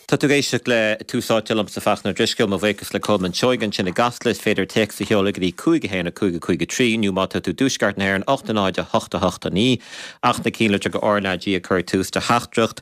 Tá tú ag éisteacht le Tús Áite liomsa Fachtna Ó Drisceoil, mo bhuíochas le Colman Seoighe ansin i gCasla. Is féidir téacs a sheoladh go dtí 5 1 5 5 3 nó má tá tú i dtuaisceart na hÉireann 8 0 8 8 9 ach na cinnlitreacha RnaG a chur ag tús do theachtaireacht.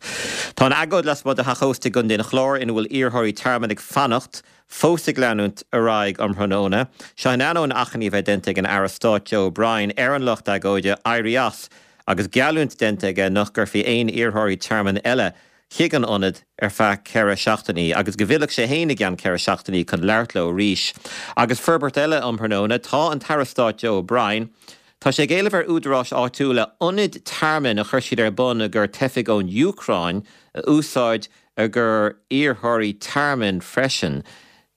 Tá an agóid lasmuigh de theach ósta i gContae an Chláir ina bhfuil iarrthóirí tearmainn ag fanacht fós ag leanúint ar aghaidh um thráthnóna. Seo in ainneoin achainí a bheith déanta ag an Aire Stáit Joe O'Brien ar an lucht agóide éirí as agus geallúint déanta aige nach gcuirfí aon iarrthóirí tearmainn eile chuig an ionad ar feadh 4 seachtainí agus go bhfillfeadh sé féin i gceann 4 seachtainí chun labhairt leo arís. Agus forbairt eile um thráthnóna, tá an tAire Stáit Joe O'Brien, tá sé ag éileamh ar údaráis áitiúla ionaid tearmainn a chuir siad ar bun i gcomhair teifigh ón Úcráin a úsáid i gcomhair iarrthóirí tearmainn freisin.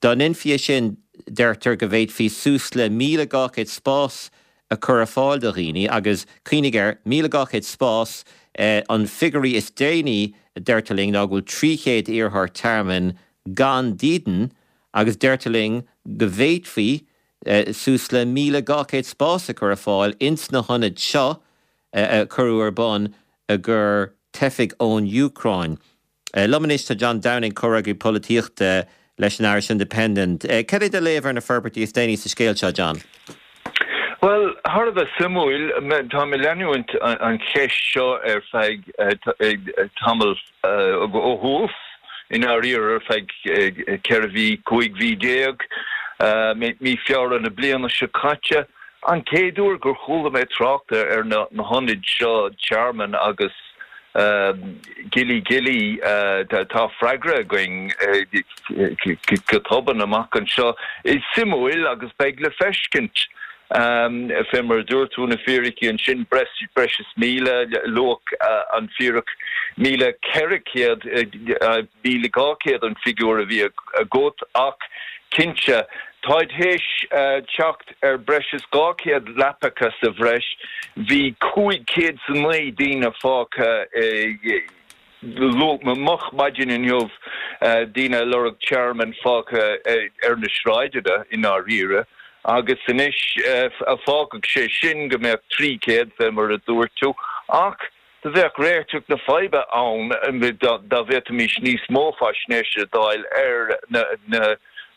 Dá ndéanfaí é sin, deirtear go bhféadfaí suas le 1,200 spás a chur ar fáil do dhaoine agus, cuimhnigh air, 1,200 spás, an figiúirí is déanaí a deirtear linn ná go bhfuil 300 iarrthóir tearmainn gan dídean agus deirtear linn go bhféadfaí suas le 1,200 spás a chur ar fáil ins na hionaid seo a cuireadh ar bun i gcomhair teifigh ón Úcráin. Liom anois tá John Downing, comhfhreagraí polaitíochta leis an Irish Independent. Cad é do léamh ar na forbairtí is déanaí sa scéal seo, John? Bhuel, thar a bheith suimiúil. Táim ag leanúint an cheist seo ar feadh tamall ó thús, i ndáiríre, ar feadh 14 mhí, 15 mhí, mí Feabhra na bliana seo caite. An chéad uair gur chuala mé trácht ar na hionaid seo tearmainn agus Gilly Gilly, tá freagra againn go tobann amach anseo. Is suimiúil agus beidh le feiscint. Fé mar a dúirt tú na fíricí ansin, breis is 1,000, luadh an fíric 1,400, 1,200 an figiúr a bhí agat ach cinnte táid théis teacht ar breis is 200 leapacha sa bhreis. Bhí 509 daoine fágtha moch maidin inniu, daoine ag lorg tearmainn fágtha ar na sráideanna i ndáiríre, agus anois fágfadh sé sin go mbeadh 300, fé mar a dúirt tú, ach Do bheadh réiteach na faidhbe ann dá bhféadfaimis níos mó faisnéise a d'fháil ar na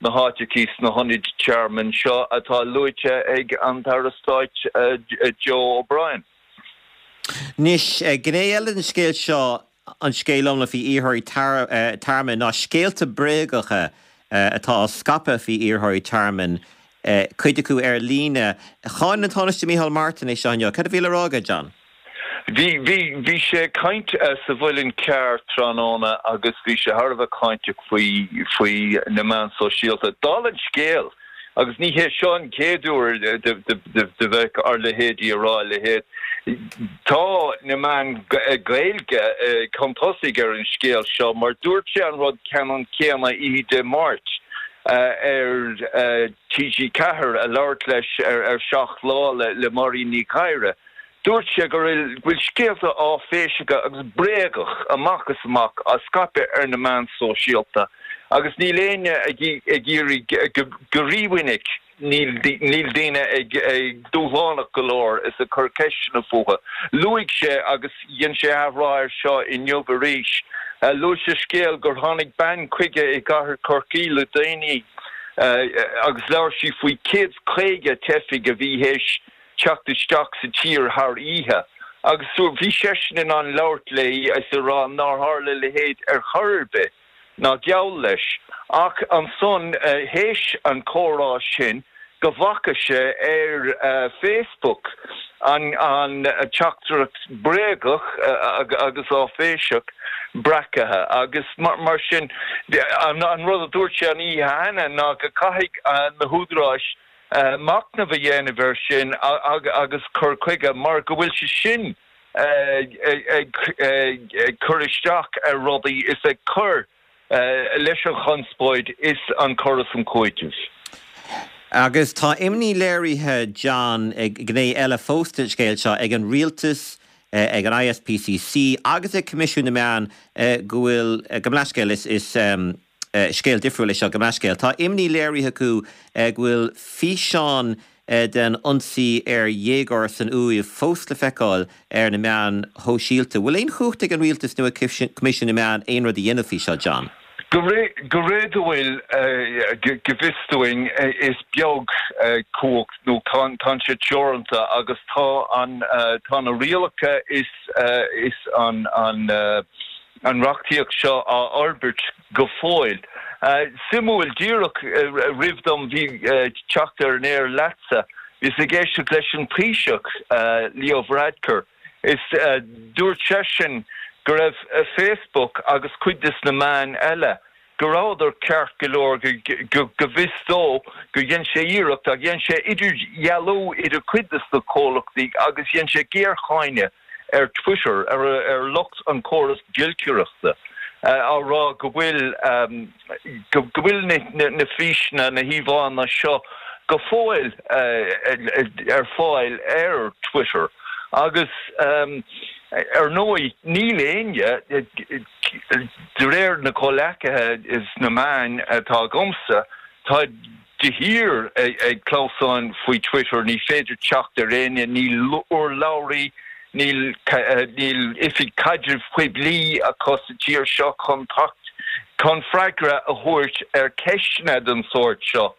háiteachaí sna hionaid tearmainn seo atá luaite ag an tAire Stáit Joe O'Brien. Anois, gné eile den scéal seo, an scéal iomlán faoi iarrthóirí tearmainn, ná scéalta bréagacha atá á scaipeadh faoi iarrthóirí tearmainn, cuid acu ar líne. Cháin an Tánaiste Micheál Martin é seo inniu. Cad a bhí le rá aige, John? Bhí, bhí, bhí sé ag caint sa Mhuileann Cearr tráthnóna agus bhí sé thar a bheith cáinteach faoi, faoi na meáin sóisialta. Dála an scéil, agus ní hé seo an chéad uair do bheith ár leithéidí ag rá a leithéid, tá na meáin Gaeilge chun tosaigh ar an scéal seo mar dúirt sé an rud ceannann céanna oíche Dé Máirt ar TG4 ag labhairt leis ar 7 Lá le Máirín Ní Ghadhra. Dúirt sé go bhfuil scéalta áiféiseacha agus bréagach amach is amach á scaipeadh ar na meáin sóisialta agus níl éinne ag iarraidh go rímhinic níl daoine ag dúshlánach go leor is ag cur ceisteanna fúthu. Luaigh sé agus dhein sé athrá air seo inniu arís, luaigh sé scéal gur tháinig bean chuige i gcathair Chorcaí le déanaí agus labhair sí faoi 150 teifigh a bhí théis teacht isteach sa tír thar oíche agus bhí seisean in ann labhairt léi is a rá nár tharla a leithéid ar chor ar bith, ná geall leis. Ach ansan, théis an chomhrá sin, go bhfaca sé ar Facebook an teachtaireacht bréagach agus áiféiseach breacaithe agus mar sin, an rud a dúirt sé an oíche cheana ná go gcaithfidh na húdaráis machnamh a dhéanamh air sin agus cur chuige mar go bhfuil sé sin ag cur isteach ar rudaí is ag cur leis an chonspóid is an cur is an cúiteamh. Agus tá imní léirithe, John, ag gné eile fós den scéal seo, ag an rialtas, ag an ISPCC agus ag Coimisiún na Meán go bhfuil, gabh mo leithscéal, is. Scéal difriúil é seo, gabh mo leithscéal. Tá imní léirithe acu go bhfuil físeán den ionsaí ar dhéagóir san Uaimh fós le feiceáil ar na meáin shóisialta. Bhfuil aon chumhacht ag an rialtas nó ag Coimisiún na Meán aon rud a dhéanamh faoi seo, John? Go réadúil, go bhfios dúinn, is beag cumhacht nó tá sé teoranta agus tá an, tá na rialacha is is an an reachtaíocht seo á fhorbairt go fóill. Suimiúil, díreach roimh dom teacht ar an aer leatsa, bhíos ag éisteacht leis an Taoiseach, Leo Varadkar, Is dúirt seisean go raibh Facebook agus cuid des na meáin eile, go rabhadar ceart go leor, go bhfios dó gur dhein sé iarracht ach dhein sé idirdhealú idir cuid des na comhlachtaí agus dhein sé géarcháineadh ar Twitter, ar lucht an chóras giolcaireachta, á rá go bhfuil go bhfuil na físeanna, na híomhánna seo go fóill ar fáil ar Twitter agus ar ndóigh níl éinne, de réir na comhleacaithe sna meáin atá agamsa, tá de shíor ag clamhsáin faoi Twitter, ní féidir teacht ar éinne, níl urlabhraí, níl oifig caidrimh poiblí acu sa tír seo chun teacht chun freagra a thabhairt ar cheisteanna den sórt seo.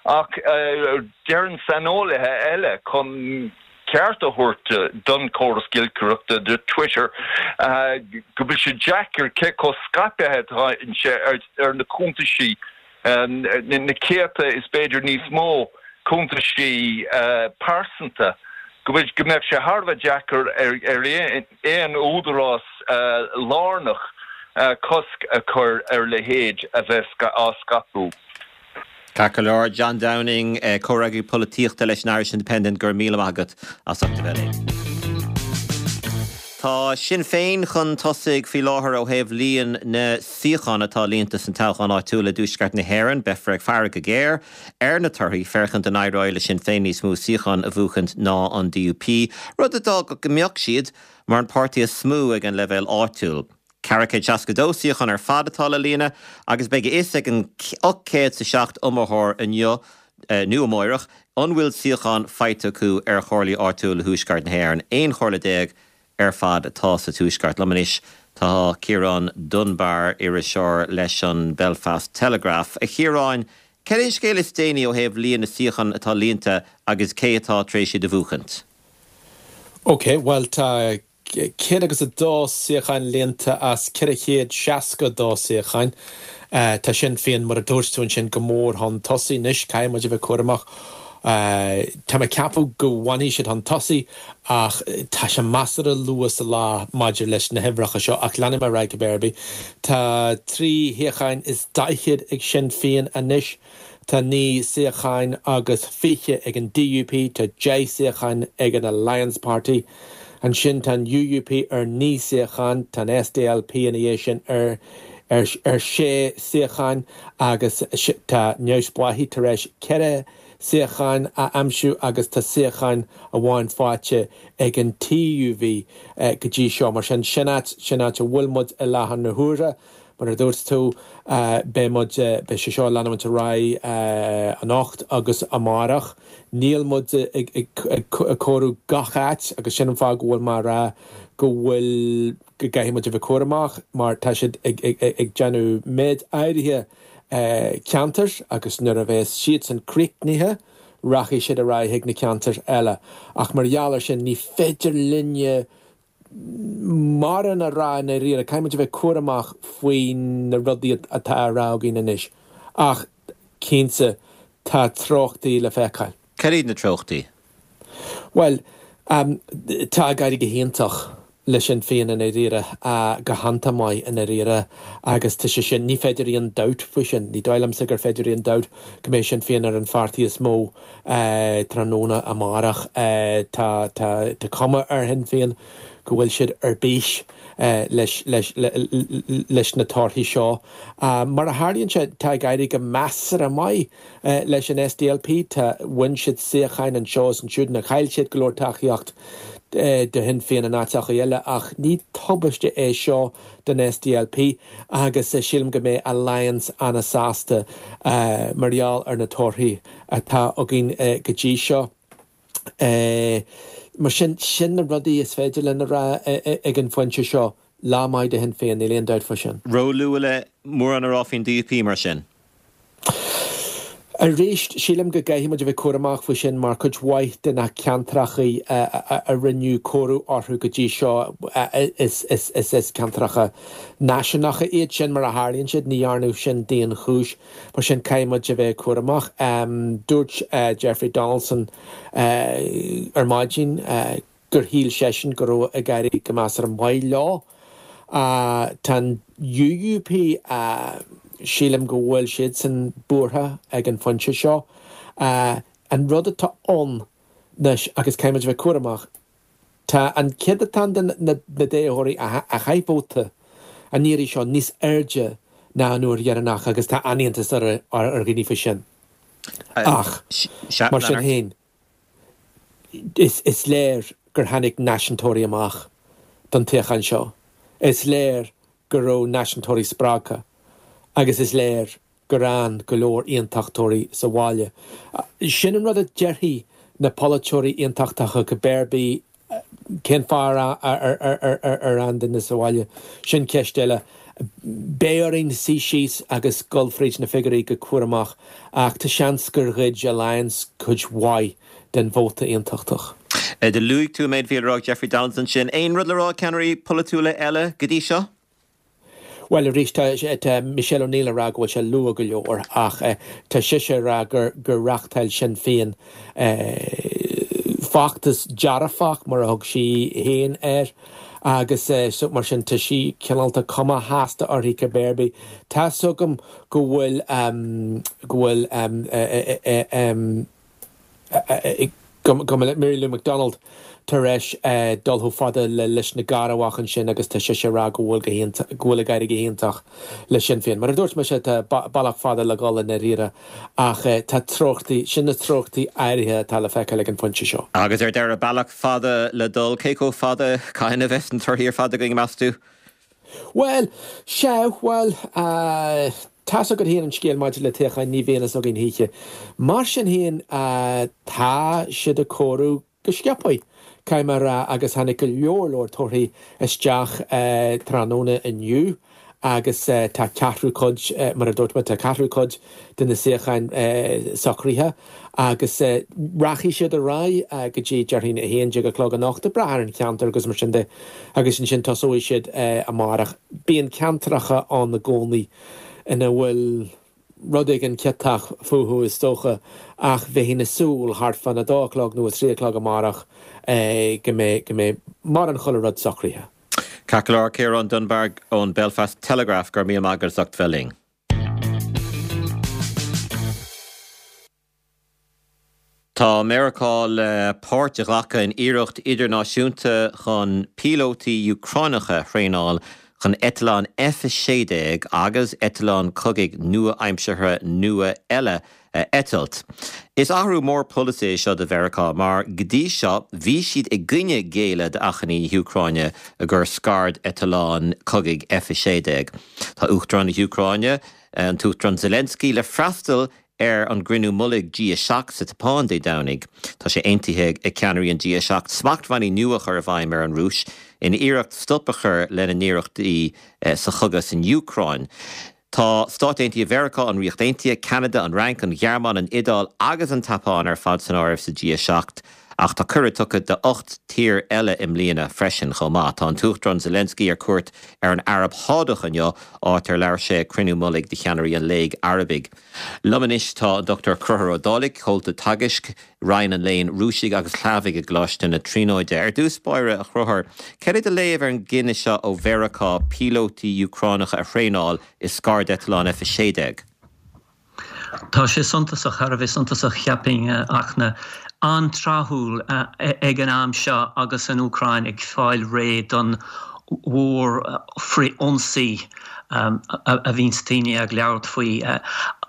Ach deireann saineolaithe eile, chun ceart a thabhairt don chóras giolcaireachta, do Twitter, go bhfuil sé deacair cé chomh scaipthe atá sé ar na cuntaisí na céadta is b'fhéidir níos mó cuntaisí pearsanta, go bhfuil, go mbeadh sé thar a bheith deacair ar aon údarás lárnach cosc a chur ar a leithéid a bheith á scaipeadh. Ceart go leor, John Downing, comhfhreagraí polaitíochta leis an Irish Independent, go raibh míle maith agat as ucht a bheith linn. Tá Sinn Féin chun tosaigh faoi láthair ó thaobh líon na suíochán atá líonta san toghchán áitiúil i dTuaisceart na hÉireann. Beifear ag faire go géar ar na torthaí féachaint an éireoidh le Sinn Féin níos mó suíochán a bhuachaint ná an DUP, rud a d'fhágfadh go mbeadh siad mar an páirtí is mó ag an leibhéal áitiúil. 462 suíochán ar fad atá le líonadh agus beidh a fhios ag an 807 iomaitheoir inniu nó amáireach an bhfuil suíochán faighte acu ar chomhairlí áitiúla Thuaisceart na hÉireann. 11 chomhairle ar fad atá sa Tuaisceart. Liom anois tá Ciarán Dunbar, iriseoir leis an Belfast Telegraph. A Chiaráin, cad é an scéal is déanaí ó thaobh líon na suíochán atá líonta agus cé atá tar éis iad a bhuachaint? Ok, bhuel tá 102 suíochán líonta as 462 suíochán. Tá Sinn Féin, mar a dúirt tú ansin, go mór chun tosaigh. Anois, caithfidh muid a bheith cúramach. Tá mé ag ceapadh go bhfanfaidh siad chun tosaigh ach tá sé measartha luath sa lá maidir leis na huimhreacha seo ach leanfaidh mé ar aghaidh cibé ar bith. Tá 3 shuíochán is 40 ag Sinn Féin anois. Tá 9 suíocháin agus 20 ag an DUP, tá 10 suíochán ag an Alliance Party. Ansin tá an UUP ar 9 suíochán, tá an SDLP ina dhiaidh sin ar ar 6 suíochán agus tá Neamhspleáchaigh tar éis 4 suíochán a aimsiú agus tá suíochán amháin faighte ag an TUV go dtí seo. Mar sin, sin áit, sin áit a bhfuil muid i láthair na huaire. Mar a dúirt tú, beidh muid, beidh sé seo ag leanúint ar aghaidh anocht agus amárach. Níl muid ag comhaireamh gach áit agus sin an fáth go bhfuil mé ag rá go bhfuil, go gcaithfidh muid a bheith cúramach mar tá siad ag déanamh méid áirithe ceantar agus nuair a bheas siadsan críochnaithe, rachaidh siad ar aghaidh chuig na ceantair eile. Ach mar gheall ar sin, ní féidir linne mórán a rá i ndáiríre, caithfidh muid a bheith cúramach faoi na rudaí atá á rá againn anois. Ach, cinnte, tá treochtaí le feiceáil. Cad iad na treochtaí? Bhuel, tá ag éirí go hiontach le Sinn Féin i ndáiríre, go hiontach maith i ndáiríre agus tá sé sin, ní féidir aon dabht faoi sin, ní dóigh liomsa gur féidir aon dabht go mbeidh Sinn Féin ar an pháirtí is mó tráthnóna amárach. Tá tá cuma ar Shinn Féin go bhfuil siad ar bís leis leis leis na torthaí seo. Mar a tharlaíonn sé, tá ag éirí go measartha maith leis an SDLP. Tá, bhain siad suíocháin anseo is ansiúd, nó chaill siad go leor tacaíocht do Shinn Féin in áiteacha eile, ach ní tubaiste é seo don SDLP agus sílim go mbeidh Alliance ana-sásta mar gheall ar na torthaí atá againn go dtí seo. Mar sin, sin na rudaí is féidir linn a rá ag an phointe seo. Lá maith do Shinn Féin, níl aon dabht fá sin. Ró-luath le mórán a rá faoin DUP mar sin? Arís, sílim go gcaithfidh muid a bheith cúramach faoi sin mar cuid mhaith de na ceantracha a rinneadh comhaireamh orthu go dtí seo is ceantracha náisiúnacha iad sin mar a tharlaíonn siad, ní dhearnadh sin d'aon chúis. Mar sin caithfidh muid a bheith cúramach. Dúirt Jeffrey Donaldson ar maidin gur shíl seisean go raibh ag éirí go measartha maith leo. Tá an UUP, sílim go bhfuil siadsan buartha ag an phointe seo. An rud atá ann anois, agus caithfidh muid a bheith cúramach, tá an céadatán de na dtoghthóirí a chaith vóta an iarraidh seo níos airde ná an uair dheireanach agus tá an-iontas ar dhaoine faoi sin. Ach, mar sin féin, Is léir gur tháinig náisiúntóirí amach don toghchán seo. Is léir go raibh náisiúntóirí spreagtha agus is léir gur fhan go leor aontachtóirí sa bhaile. Sin an rud a déarfaidh na polaiteoirí aontachtacha cibé ar bith Cén fáth ar fhan daoine sa bhaile? Sin ceist eile. Beidh orainn suí síos agus dul fríd na figiúirí go cúramach ach tá seans gur ghoid Alliance cuid mhaith den vóta aontachtach. Do luaigh tú an méid a bhí le rá ag Jeffrey Donaldson ansin. Aon rud le rá ag ceannairí polaitiúla eile go dtí seo? Bhuel, arís, tá Michelle O'Neill ag rá go bhfuil sé luath go leor ach tá sise ag rá gur reáchtáil Sinn Féin feachtas dearfach, mar a thug sí féin air, agus mar sin tá sí cineál, tá cuma shásta uirthi cibé ar bith. Tá's agam go bhfuil, go bhfuil. go mbeidh Mary Lou McDonald tar éis dul chomh fada le Lios na gCearrbhach ansin agus tá sise ag rá go bhfuil go bhfuil ag éirí go hiontach le Sinn Féin. Mar a dúirt mise, tá bealach fada le dhul i ndáiríre ach tá treochtaí, sin na treochtaí áirithe atá le feiceáil ag an phointe seo. Agus ar deireadh, bealach fada le dul, cé chomh fada cathain a bheas na torthaí ar fad againn, meas tú? Bhuel, sea, bhuel, tá's agat féin an scéal maidir le toghcháin, ní bhíonn fhios againn choíche. Mar sin féin, tá siad ag comhaireamh go sciobtha, caithfidh mé a rá, agus tháinig go leor leor torthaí isteach tráthnóna inniu agus tá ceathrú cuid, mar a dúirt mé, tá ceathrú cuid de na suíocháin socraithe agus rachaidh siad ar aghaidh go dtí, déarfainn, 11 a chlog anocht, ag brath ar an cheantar agus mar sin de, agus ansin tosóidh siad amárach. Bíonn ceantracha ann i gcónaí ina bhfuil rud éigin ciotach fúthu is dócha ach bheinn ag súil thart fán 2 a chlog nó 3 a chlog amárach go mbeidh, go mbeidh mórán chuile rud socraithe. Ceart go leor, Ciarán Dunbar ón Belfast Telegraph, go raibh míle maith agat as ucht bheith linn. Tá Meiriceá le páirt a ghlacadh in iarracht idirnáisiúnta chun píolótaí Úcránacha a thraenáil chun eitleáin F-16 agus eitleáin cogaidh nua-aimseartha nua eile a eitilt. Is athrú mór polasaí é seo do Mheiriceá mar go dtí seo bhí siad i gcoinne géilleadh d'achainí na hÚcráine i gcomhair scairdeitleáin cogaidh F-16. Tá Uachtarán na hÚcráine, an tUachtarán Zelensky, le freastal ar an gcruinniú mullaigh G7 sa tSeapáin Dé Domhnaigh. Tá sé aontaithe ag ceannairí an G7 smachtbhannaí nua a chur i bhfeidhm ar an Rúis in iarracht stop a chur lena n-iarrachtaí sa chogadh san Úcráin. Tá Stáit Aontaithe Mheiriceá, an Ríocht Aontaithe, Ceanada, an Fhrainc, an Ghearmáin, an Iodáil agus an tSeapáin ar fad san áireamh sa G7, ach tá cuireadh tugtha do 8 tír eile i mbliana freisin chomh maith. Tá an tUachtarán Zelensky ar cuairt ar an Araib Shádach inniu, áit ar labhair sé ag cruinniú mullaigh de cheannairí an Léig Arabaigh. Liom anois tá an Dr Conchúr Ó Dálaigh, Comhalta Teagaisc, Roinn an Léinn Rúisigh agus Shlavaigh i gColáiste na Tríonóide. Ar dtús báire, a Chonchúir, cad é do léamh ar an gcinneadh seo ó Mheiriceá píolótaí Úcránacha a thraenáil i scairdeitleáin F-16? Tá sé suntasach, thar a bheith suntasach, cheapfainn, a Fhachtna. An-tráthúil ag an am seo agus an Úcráin ag fáil réidh don mhór-fhrith-ionsaí a bhíonns daoine ag labhairt faoi,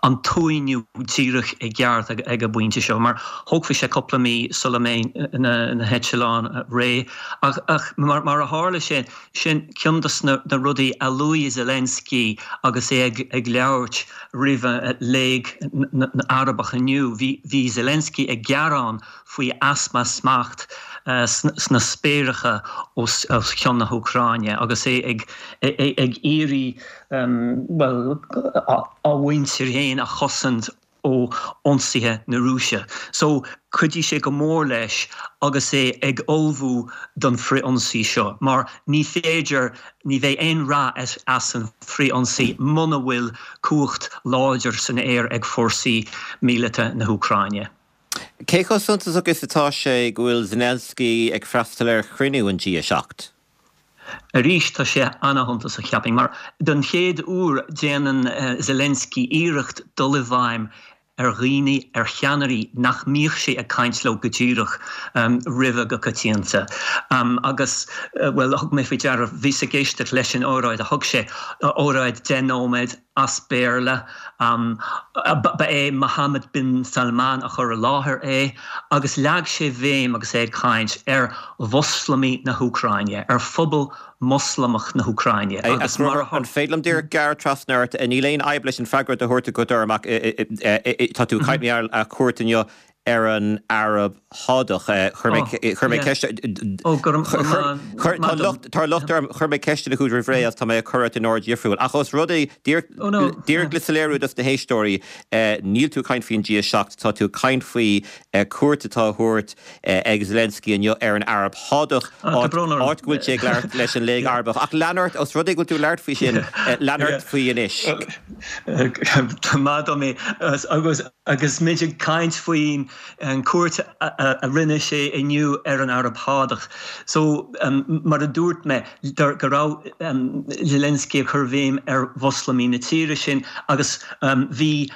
an t-uainiú díreach i gceart ag an bpointe seo, mar thógfaidh sé cúpla mí sula mbeidh na heitleáin réidh. Ach mar a tharla sé, sin ceann de na rudaí a luaigh Zelensky agus é ag labhairt roimh Léig na nArabach inniu. Bhí Zelensky ag gearán faoi easpa smacht. sna spéireacha os cionn na hÚcráine agus é ag iarraidh, bhuel, a mhuintir féin a chosaint ó ionsaithe na Rúise. So, cuideoidh sé go mór leis agus é ag ullmhú don frith-ionsaí seo, mar ní féidir, ní bheidh aon rath as an frith-ionsaí muna bhfuil cumhacht láidir san aer ag fórsaí míleata na hÚcráine. Cé chomh suntasach is atá sé go bhfuil Zelensky ag freastal ar chruinniú an G7? Arís, tá sé ana-shuntasach, cheapfainn, mar don chéad uair déanann Zelensky iarracht dul i bhfeidhm ar dhaoine, ar cheannairí nach mbíodh sé ag caint leo go díreach roimhe go coitianta. Agus, bhuel, thug mé faoi deara, bhíos ag éisteacht leis an óráid a thug sé, óráid 10 nóiméad, as Béarla. Ba é Mohammed bin Salman a chuir i láthair é agus leag sé béim agus é ag caint ar Mhoslamaigh na hÚcráine, ar phobal Moslamach na hÚcráine agus mar a. An féidir liom díreach gearradh trasna ort? Níl aon fhadhb leis an freagra a thabhairt agat orm ach tá tú ag caint mar gheall ar chuairt inniu ar an Araib Shádach. Chuir mé chuir mé ceist Tá locht tá locht orm chuir mé ceisteanna chugat roimh ré agus tá mé ag cur ort in ord difriúil. Ach os rud é díreach le soiléiriú dos na héisteoirí, níl tú ag caint faoin G7, tá tú ag caint faoi cuairt atá á thabhairt ag Zelensky inniu ar an Araib Shádach, áit áit go bhfuil sé ag labhairt leis an Léig Arabach. Ach lean ort, os rud é go bhfuil tú ag labhairt faoi sin, lean ort faoi anois. Maith dom é. Agus Agus muid ag caint faoin cuairt a rinne sé inniu ar an Araib Shádach, so mar a dúirt mé, go raibh Zelensky ag cur bhéim ar Mhoslamaigh na tíre sin agus bhí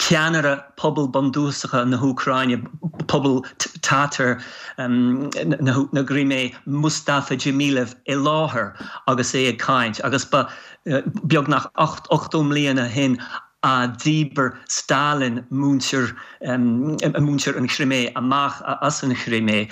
ceannaire pobal bundúchasacha na hÚcráine, pobal Tatar na gCrimé, Mustafa Dzhemilev i láthair agus é ag caint agus ba beagnach 80 mbliana ó shin a dhíbir Stalin muintir muintir an Chrimé amach as an Chrimé.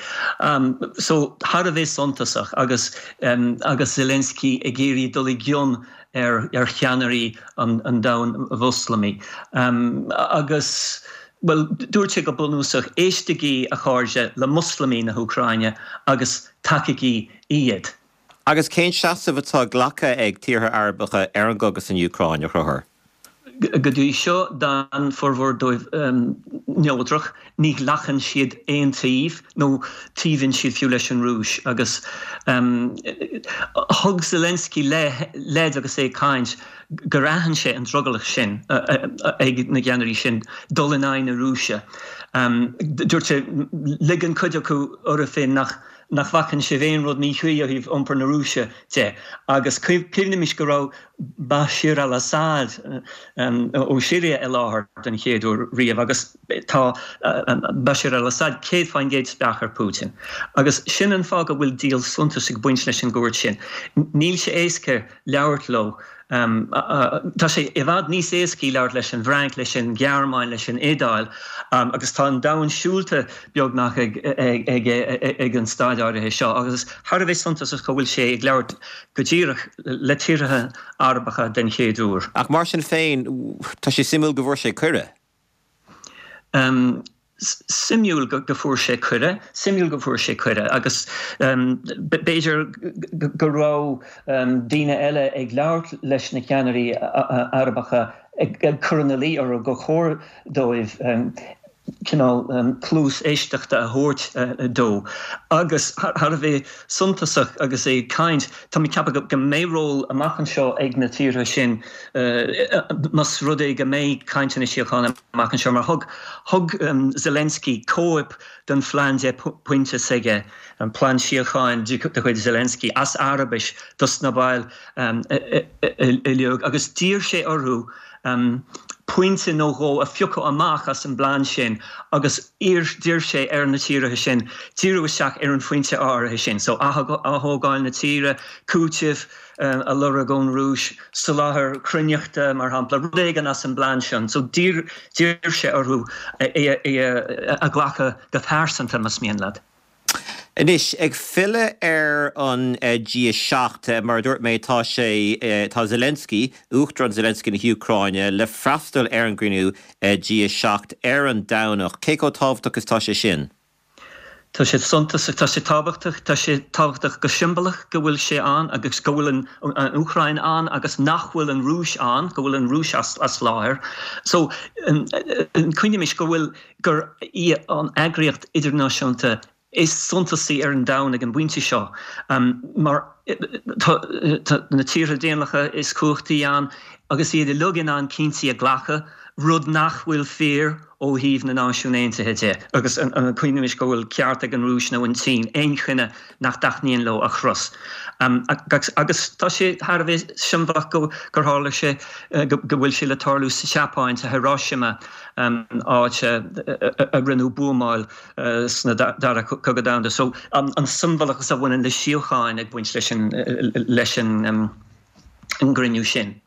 So, thar a bheith suntasach agus agus Zelensky ag iarraidh dul i gcion ar ar cheannairí an an domhain Mhoslamaigh. Agus, bhuel, dúirt sé go bunúsach, éistigí, a chairde, le Moslamaigh na hÚcráine agus tacaígí iad. Agus cén seasamh atá glactha ag tíortha Arabacha ar an gcogadh san Úcráin, a Chonchúir? Go dtí seo, d'fhan formhór dóibh neodrach, ní ghlacann siad aon taobh, nó taobhaíonn siad fiú leis an Rúis. Agus thug Zelensky leid agus é ag caint gur aithin sé an drogallach sin ag na gceannairí sin dul in aghaidh na Rúise. Dúirt sé, ligeann cuid acu orthu féin nach nach bhfacann sibh aon rud míchuí ó thaobh iompar na Rúise de. Agus cuimhnimis go raibh Bashir al-Assad ó Siria i láthair den chéad uair riamh agus tá Bashir al-Assad 100% spleách ar Putin. Agus sin an fáth go bhfuil díol suntais ag baint leis an gcuairt sin. Níl sé éasca labhairt leo. Tá sé i bhfad níos éascaí labhairt leis an bhFrainc, leis an Ghearmáin, leis an Iodáil agus tá an domhan siúlta beagnach aige ag an staid áirithe seo agus thar a bheith suntasach go bhfuil sé ag labhairt go díreach le tíortha Arabacha den chéad uair. Ach mar sin féin, tá sé suimiúil go bhfuair sé cuireadh. Suimiúil go bhfuair sé cuireadh, suimiúil go bhfuair sé cuireadh agus b'fhéidir go raibh daoine eile ag labhairt leis na ceannairí Arabacha ag cur ina luí orthu gur chóir dóibh cineál cluas éisteachta a thabhairt dó. Agus thar a bheith suntasach agus é ag caint, tá mé ag ceapadh go mbeidh ról amach anseo ag na tíortha sin más rud é go mbeidh cainteanna síochána amach anseo mar thug thug Zelensky cóip den phlean 10 pointe s'aige, an plean síocháin de chuid Zelensky, as Araibis dos na baill uilig agus d'iarr sé orthu pointe nó dhó a phiocadh amach as an bplean sin agus d'iarr sé ar na tíortha sin díriú isteach ar an phointe áirithe sin, so athógáil na tíre, cúiteamh. a lorg ón Rúis, soláthar cruithneachta, mar shampla, rud éigin as an bplean sin. So d'iarr sé orthu é a ghlacadh go pearsanta, más mian leat. Anois, ag filleadh ar an G7, mar a dúirt mé, tá sé, tá Zelensky, Uachtarán Zelensky na hÚcráine, le freastal ar an gcruinniú G7 ar an Domhnach. Cé chomh tábhachtach is tá sé sin? Tá sé suntasach, tá sé tábhachtach, tá sé tábhachtach go siombalach go bhfuil sé ann agus go bhfuil an Úcráin ann agus nach bhfuil an Rúis ann, go bhfuil an Rúis as láthair. So, cuimhnímis go bhfuil, gur í an eagraíocht idirnáisiúnta is suntasaí ar an domhan ag an bpointe seo mar tá na tíortha daonlathacha is cumhachtaí ann agus iad uilig in ann cinntí a ghlacadh, rud nach bhfuil fíor ó thaobh na Náisiún Aontaithe de, agus cuimhnímis go bhfuil ceart ag an Rúis nó an tSín aon chinneadh nach dtaitníonn leo a chros. Agus tá sé thar a bheith siombalach gur tharla sé, go bhfuil sé le tarlú sa tSeapáin, sa Hiroshima, áit a rinneadh buamáil sna Dara Cogadh Domhanda. So an siombalachas a bhaineann le síocháin ag baint leis an gcruinniú sin.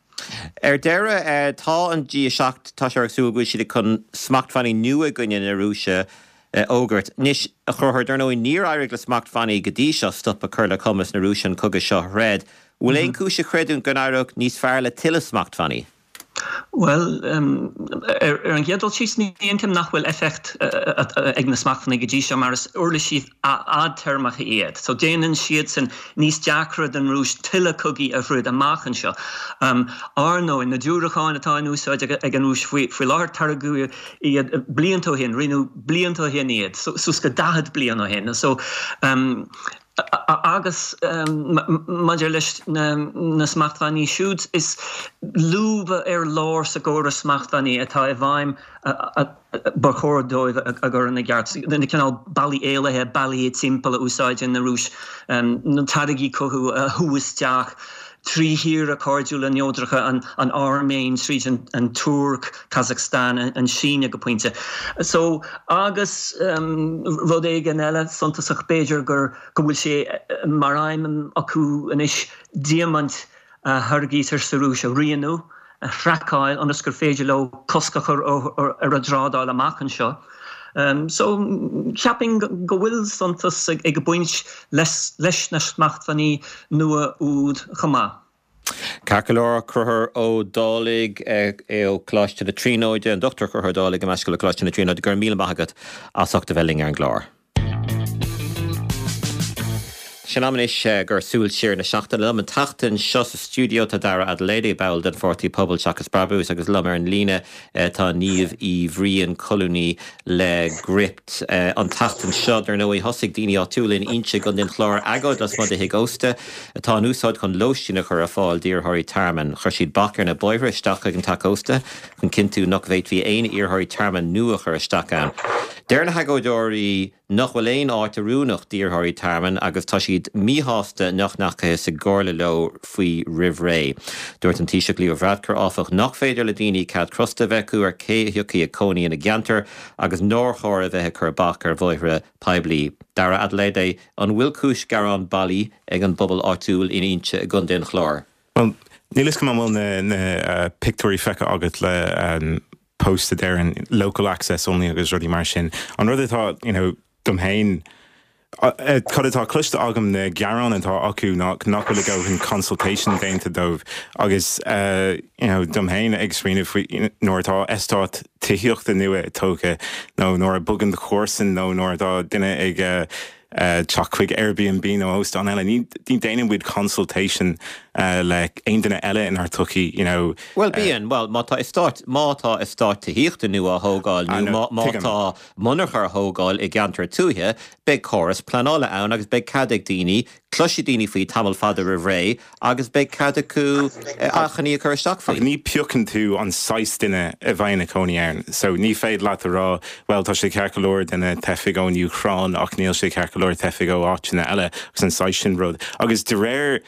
Ar deireadh, tá an G7, tá sé ar súil go bhfuil siad chun smachtbhannaí nua i gcoinne na Rúise a fhógairt. Anois, a Chonchúir, dar ndóigh, níor éirigh le smachtbhannaí go dtí seo stop a chur le cumas na Rúise an cogadh seo a throid. Bhfuil aon chúis a chreidiúint go n-éireodh níos fearr le tuilleadh smachtbhannaí? Bhuel, ar an gcéad dul síos, ní aontaím nach bhfuil éifeacht ag na smachtbhannaí go dtí seo mar is uirlisí fhadtéarmacha iad. So déanann siadsan níos deacra don Rúis tuilleadh cogaí a throid amach anseo. Ar ndóigh, na diúracáin atá in úsáid ag an Rúis faoi láthair, táirgeadh iad blianta ó shin, rinneadh blianta ó shin iad, suas go 40 bliain ó shin. So Agus maidir leis na smachtbhannaí siúd, is lúba ar lár sa gcóras smachtbhannaí atá i bhfeidhm ba chóir dóibh a gcur ina gceart. Na cineál bealaí éalaithe, bealaí timpeall a úsáideann na Rúis, na táirgí cogaidh a shú isteach trí thíortha cairdiúla neodracha, an Airméin, tríd an Tuirc, Kazakhstan, an tSín go pointe. So, agus rud éigin eile suntasach b'fhéidir gur go bhfuil sé mar aidhm acu anois diamaint a tháirgítear sa Rúis a rianú, a thraiceáil ionas gur féidir leo cosc a chur ar a dtrádáil amach anseo. So, cheapfainn go bhfuil suntas ag baint leis na smachtbhannaí nua úd chomh maith. Ceart go leor, Conchúr Ó Dálaigh ó Choláiste na Tríonóide, an Dr Conchúr Ó Dálaigh, gabh mo leithscéal, ó Choláiste na Tríonóide, go raibh míle maith agat as ucht a bheith linn ar an gclár. Tá sé in am anois gur súil siar na seachtaine. Liom an tseachtain seo sa stiúideo tá Dara Adeleye, ball den pháirtí Pobal Seachas Brabús agus liom ar an líne tá Niamh Uí Bhriain, colúnaí le Gript. An tseachtain seo, dar ndóigh, thosaigh daoine áitiúla in Inse i gContae an Chláir agóid lasmuigh de thigh ósta atá in úsáid chun lóistín a chur ar fáil d'iarrthóirí tearmainn. Chuir siad bac ar na bóithre isteach chuig an teach ósta chun cinntiú nach bhféadfaí aon iarrthóirí tearmainn nua a chur isteach ann. Deir na hagóideoirí nach bhfuil aon áit oiriúnach d'iarrthóirí tearmainn agus tá siad míshásta nach ndeachathas i gcomhairle leo faoi roimh ré. Dúirt an Taoiseach Leo Varadkar, áfach, nach féidir le daoine cead crosta a bheith acu ar cé a thiocfaidh ag cónaí ina gceantar agus nár chóir a bheith ag cur bac ar bhóithre poiblí. Dara Adeleye, an bhfuil cúis gearáin bailí ag an bpobal áitiúil in Inse i gContae an Chláir? Bhuel, níl 'fhios agam an bhfuil na pictiúirí feicthe agat le post a deireann local access only agus rudaí mar sin. An rud atá, you know, dom féin, cad atá cloiste agam na gearáin atá acu ná nach bhfuil a ndóthain consultation déanta dóibh agus, you know, dom féin ag smaoineamh faoi nuair atá eastát tithíochta nua tógtha nó nuair a bogann do chomharsan nó nuair atá duine ag teacht chuig Airbnb nó óstán eile. Ní déanann muid consultation le aon duine eile inár tsochaí, you know. Bhuel, bíonn. Bhuel, má tá eastát, má tá eastát tithíochta nua á thógáil nó má tá monarcha á thógáil i gceantar tuaithe, beidh córas pleanála ann agus beidh cead ag daoine Cloisfidh daoine faoi tamall fada roimh ré agus beidh cead acu achainí a chur isteach faoi. Ach ní piocann tú an saghas duine a bheidh ina cónaí ann. So ní féidir leat a rá, bhuel tá sé ceart go leor do na teifigh ón Úcráin ach níl sé ceart go leor teifigh ó áiteanna eile agus an saghas sin rud. Agus de réir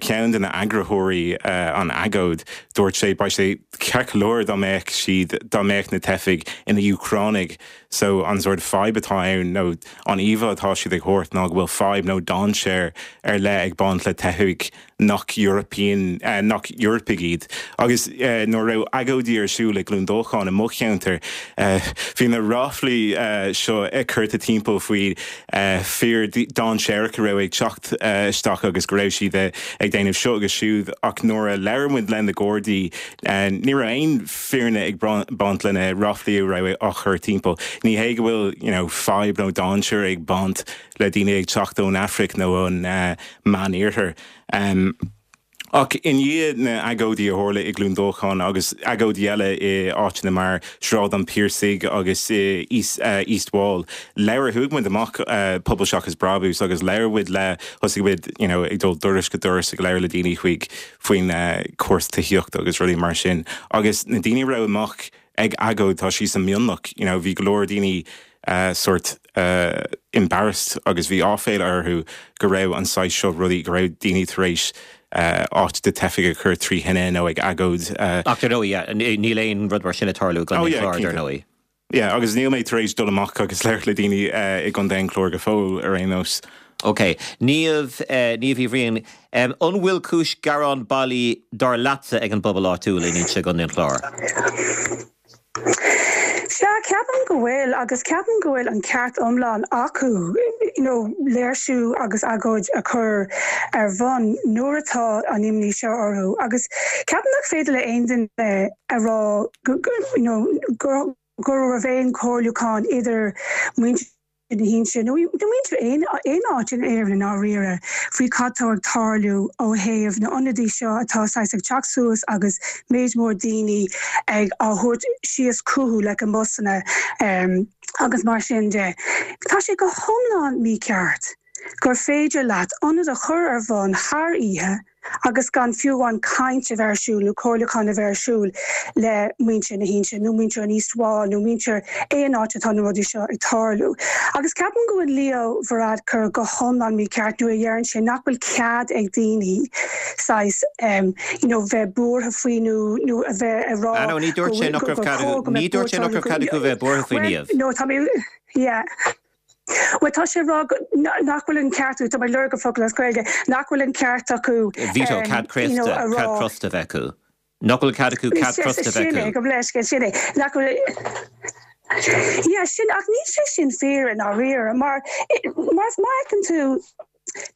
ceann de na eagraitheoirí an agóid, dúirt sé, beidh sé ceart go leor dá mbeadh siad, dá mbeadh na teifigh ina Úcránaigh. So an sort fadhb atá ann nó an íomhá atá siad ag thabhairt ná go bhfuil fadhb nó dainséar ar leith ag baint le teifigh nach European, nach Eorpaigh iad. Agus nuair a raibh agóidí ar siúl i gCluain Dolcáin i mo cheantar, bhí na ráflaí seo curtha timpeall faoi. fir dainséarach a raibh ag teacht isteach agus go raibh siad ag déanamh seo agus siúd ach nuair a labhair muid le na Gardaí ní raibh aon fírinne ag baint le na ráflaí a raibh á chur timpeall. Ní hé go bhfuil you know fadhb nó dainséar ag baint le daoine ag teacht ón Afraic nó ón Meán-Iarthar. Ach i ndiaidh na agóidí a tharla i gCluain Dolcáin agus agóidí eile i áiteanna mar Sráid an Phiarsaigh agus i East Wall, labhair, chuaigh muid amach, Pobal Seachas Brabús, agus labhair muid le, thosaigh muid you know ag dul doras go doras ag labhairt le daoine chuig, faoin cúrsaí tithíochta agus rudaí mar sin. Agus na daoine a raibh amach ag agóid, tá sí sa mionlach, you know, bhí go leor daoine sort embarrassed agus bhí áiféala orthu go raibh an saghas seo rudaí, go raibh daoine tar éis áit do teifigh a chur trí thine nó ag agóid. Ach dar ndóigh, yeah, níl aon rud mar sin ag tarlú i gContae an Chláir, dar ndóigh. Yeah, agus níl mé tar éis dul amach agus labhairt le daoine i gContae an Chláir go fóill, ar aon nós. Ok. Niamh, Niamh Uí Bhriain, an bhfuil cúis gearán bailí dar leatsa ag an bpobal áitiúil in Inse i gContae an Chláir? Sea, ceapaim go bhfuil, agus ceapaim go bhfuil an ceart iomlán acu, you know, léirsiú agus agóid a chur ar bhun nuair atá an imní seo orthu. Agus ceapaim nach féidir le aon duine a rá go, you know, go raibh aon chomhairliúchán idir muintir na hInse, nó muintir aon áit in Éirinn i ndáiríre, faoi cad tá ag tarlú ó thaobh na n-ionadaí seo atá saghas ag teacht suas agus méid mór daoine ag á thabhairt síos chucu like i mbusanna agus mar sin de. Tá sé go hiomlán mícheart gur féidir leat ionad a chur ar bhun thar oíche agus gan fiú amháin caint a bheith ar siúl nó comhairliúchán a bheith ar siúl le muintir na hInse nó muintir an East Wall nó muintir aon áit atá na rudaí seo ag tarlú. Agus ceapaim go bhfuil Leo Varadkar go hiomlán mícheart nuair a dheireann sé nach bhfuil cead ag daoine saghas you know bheith buartha faoi nó nó a bheith ag rá Ah no, ní dúirt sé nach raibh cead acu, ní dúirt sé nach raibh cead acu bheith buartha faoi Niamh. No, tá mé, yeah. Bhuel, tá sé ag rá nach bhfuil an ceart, tá mé ag lorg an focal as Gaeilge, nach bhfuil an ceart acu Veto, cead céasta, cead crosta a bheith acu. Nach bhfuil cead acu cead crosta a bheith acu. Sin é, gabh mo leithscéal, sin é. Nach bhfuil, yeah, sin, ach níl sé sin fíor i ndáiríre, mar, mar má fheiceann tú,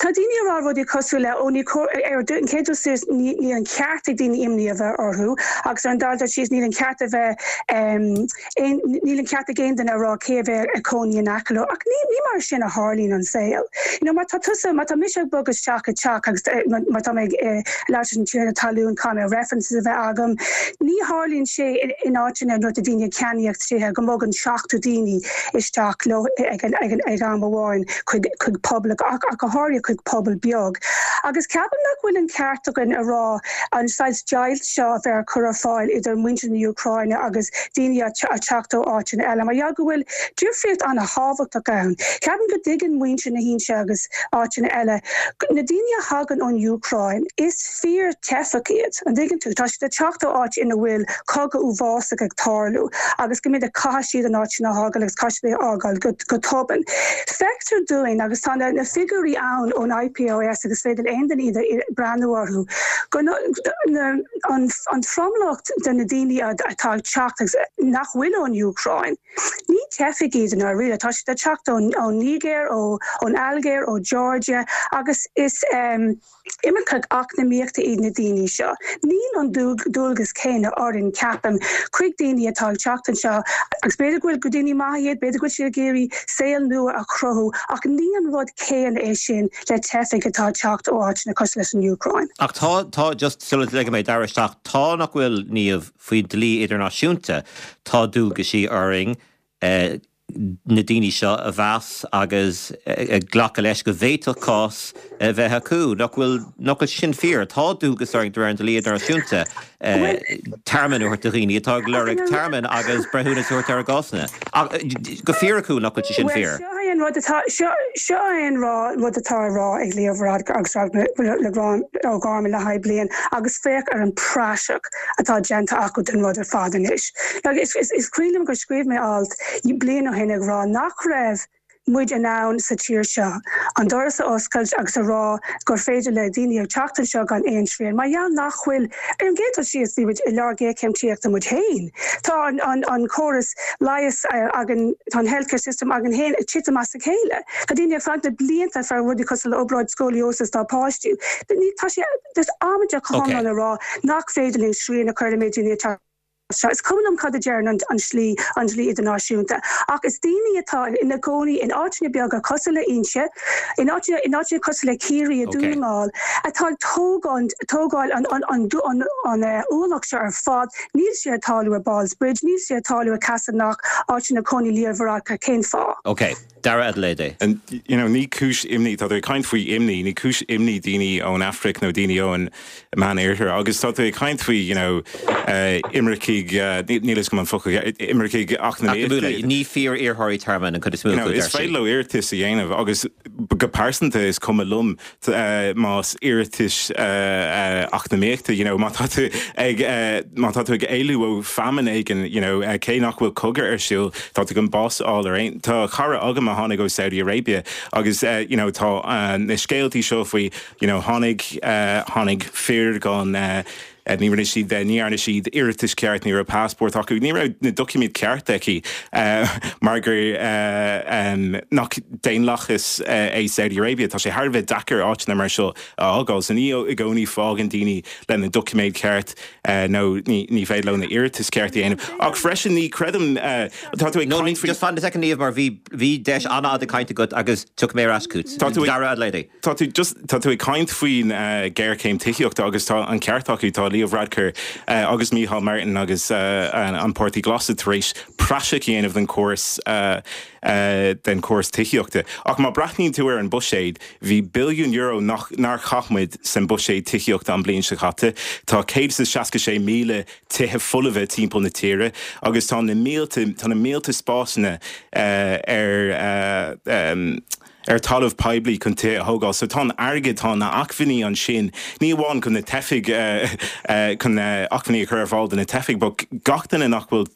Tá daoine ag rá rudaí cosúil le, ó ní cóir, ar an chéad dul síos, níl an ceart ag daoine imní a bheith orthu agus ar an dara dul síos níl an ceart a bheith, aon, níl an ceart ag aon duine a rá cé a bheidh ag cónaí in aice leo. Ach ní, ní mar sin a tharlaíonn an saol. You know, má tá tusa, má tá mise ag bogadh isteach i dteach agus má tá mé ag labhairt leis an tiarna talún caithfidh mé references a bheith agam. Ní tharlaíonn sé in áiteanna nuair atá daoine ag ceannaíocht tithe go mbogann 70 daoine isteach leo ag an, ag an, ag am amháin. chuig chuig pobal ach ach go háirithe chuig pobal beag. Agus ceapaim nach bhfuil an ceart againn a rá an saghas deighilt seo a bheith á cur ar fáil idir muintir na Úcráine agus daoine ag teacht ó áiteanna eile mar gheall go bhfuil difríocht an-thábhachtach ann. Ceapaim go dtuigeann muintir na hInse agus áiteanna eile na daoine a thagann ón Úcráin is fíor teifeach iad, an dtuigeann tú? Tá siad ag teacht ó áit ina bhfuil cogadh uafásach ag tarlú agus go minic caithfidh siad an áit sin a fhágáil agus caithfidh siad é a fhágáil go tobann. Feictear dúinn, agus tá na figiúirí ann ón IPOS agus féidir le aon duine iad a breathnú orthu, go an tromlach de na daoine atá ag teacht agus nach bhfuil ón Úcráin, ní teifigh iad i ndáiríre, tá siad ag teacht ón Nigéir, ón Ailgéir, ó Georgia agus is. Imircigh eacnamaíochta iad na daoine seo. Níl an dualgas céanna orainn, ceapaim, chuig daoine atá ag teacht anseo, agus b'fhéidir go bhfuil gur daoine maithe iad, b'fhéidir go bhfuil siad ag iarraidh saol nua a chruthú, ach ní an rud céanna é sin le teifigh atá ag teacht ó áiteanna cosúil leis an Úcráin. Ach tá, tá, just sula ligfidh mé Dara isteach, tá nach bhfuil, Niamh, faoin dlí idirnáisiúnta, tá dualgaisí orainn, na daoine seo a mheas agus glacadh leis go bhféadfadh cás a bheith acu. Nach bhfuil, nach bhfuil sin fíor? Tá dualgas orainn de réir an dlí idirnáisiúnta tearmann a thabhairt do dhaoine atá ag lorg tearmainn agus breithiúnas a thabhairt ar a gcásanna. Ach go fíriciúil, nach bhfuil sé sin fíor? Bhuel, seo é an rud atá, seo, seo é an rud atá á rá ag Leo Varadkar agus Roderic O'Gorman le haghaidh bliain agus féach ar an praiseach atá déanta acu den rud ar fad anois. Is cuimhin liom gur scríobh mé alt bliain ó shin ag rá nach raibh. muid in ann sa tír seo an doras a oscailt agus a rá gur féidir le daoine teacht anseo gan aon srian mar gheall nach bhfuil, ar an gcéad dul síos, bhí muid i lár géarchéim tithíochta muid féin. Tá an córas leighis againn, tá an healthcare system againn féin ag titim as a chéile. Tá daoine ag fanacht na blianta fá rudaí cosúil le obráid scoliosis dá bpáistí. Tá sé just amaideach go hiomlán a rá nach féidir linn srian a chur ar an méid daoine atá. seo. Is cuma liom cad a deireann an slí, an dlí idirnáisiúnta, ach is daoine atá ina gcónaí in áiteanna beaga cosúil le Inse, in áiteanna, in áiteanna cosúil le Ciarraí, i Dún na nGall, atá ag tógáint, tógáil an, an, an, an, an ualach seo ar fad. Níl sé ag tarlú i Ballsbridge, níl sé ag tarlú i Castleknock, áit ina cónaí Leo Varadkar. Cén fáth? Ok. Dara Adelaide. And you know ní cúis imní, tá tú ag caint faoi imní, ní cúis imní daoine ón Afraic nó daoine ón Meán-Oirthear agus tá tú ag caint faoi you know imircigh, níl a fhios agam an focal, imircigh eacnamaíochta. Ní fíor-iarrthóirí tearmainn an chuid is mó acu, deir sí. Is féidir leo iarratas a dhéanamh agus go pearsanta is cuma liom más iarratais eacnamaíochta, you know, má tá tú ag, má tá tú ag éalú ó famine éigin, you know, cé nach bhfuil cogadh ar siúl, tá tú chun bás a fháil ar aon, tá cara agam a tháinig ó Saudi Arabia agus, you know, tá na scéaltaí seo faoi, you know, tháinig, tháinig fir gan, Ní rinne siad, ní dhearna siad iarratas ceart, ní raibh passport acu, ní raibh na doiciméid ceart aici mar gur nach daonlathas é Saudi Arabia. Tá sé thar a bheith deacair áiteanna mar seo a fhágáil. So ní i gcónaí fágann daoine le na doiciméid ceart nó ní féidir leo na iarratas ceart a dhéanamh. Ach freisin ní creidim, tá tú ag caint faoi. Just fan second Niamh mar bhí bhí deis an-fhada cainte agat agus tiocfaidh mé ar ais chugat. Dara Adelaide. Tá tú just, tá tú ag caint faoin géarchéim tithíochta agus tá an ceart acu, tá Leo Varadkar agus Micheál Martin agus an Páirtí Glas tar éis praiseach a dhéanamh den chóras, den chóras tithíochta. Ach má breathnaíonn tú ar an buiséad, bhí billiún euro nach, nár chaith muid san buiséad tithíochta an bliain seo caite. Tá 166,000 tithe folmha timpeall na tíre agus tá na mílte, tá na mílte spásanna ar, ar talamh poiblí chun tithe a thógáil. So tá an airgead, tá na acmhainní ansin, ní amháin chun na teifigh, chun acmhainní a chur ar fáil do na teifigh, but gach duine nach bhfuil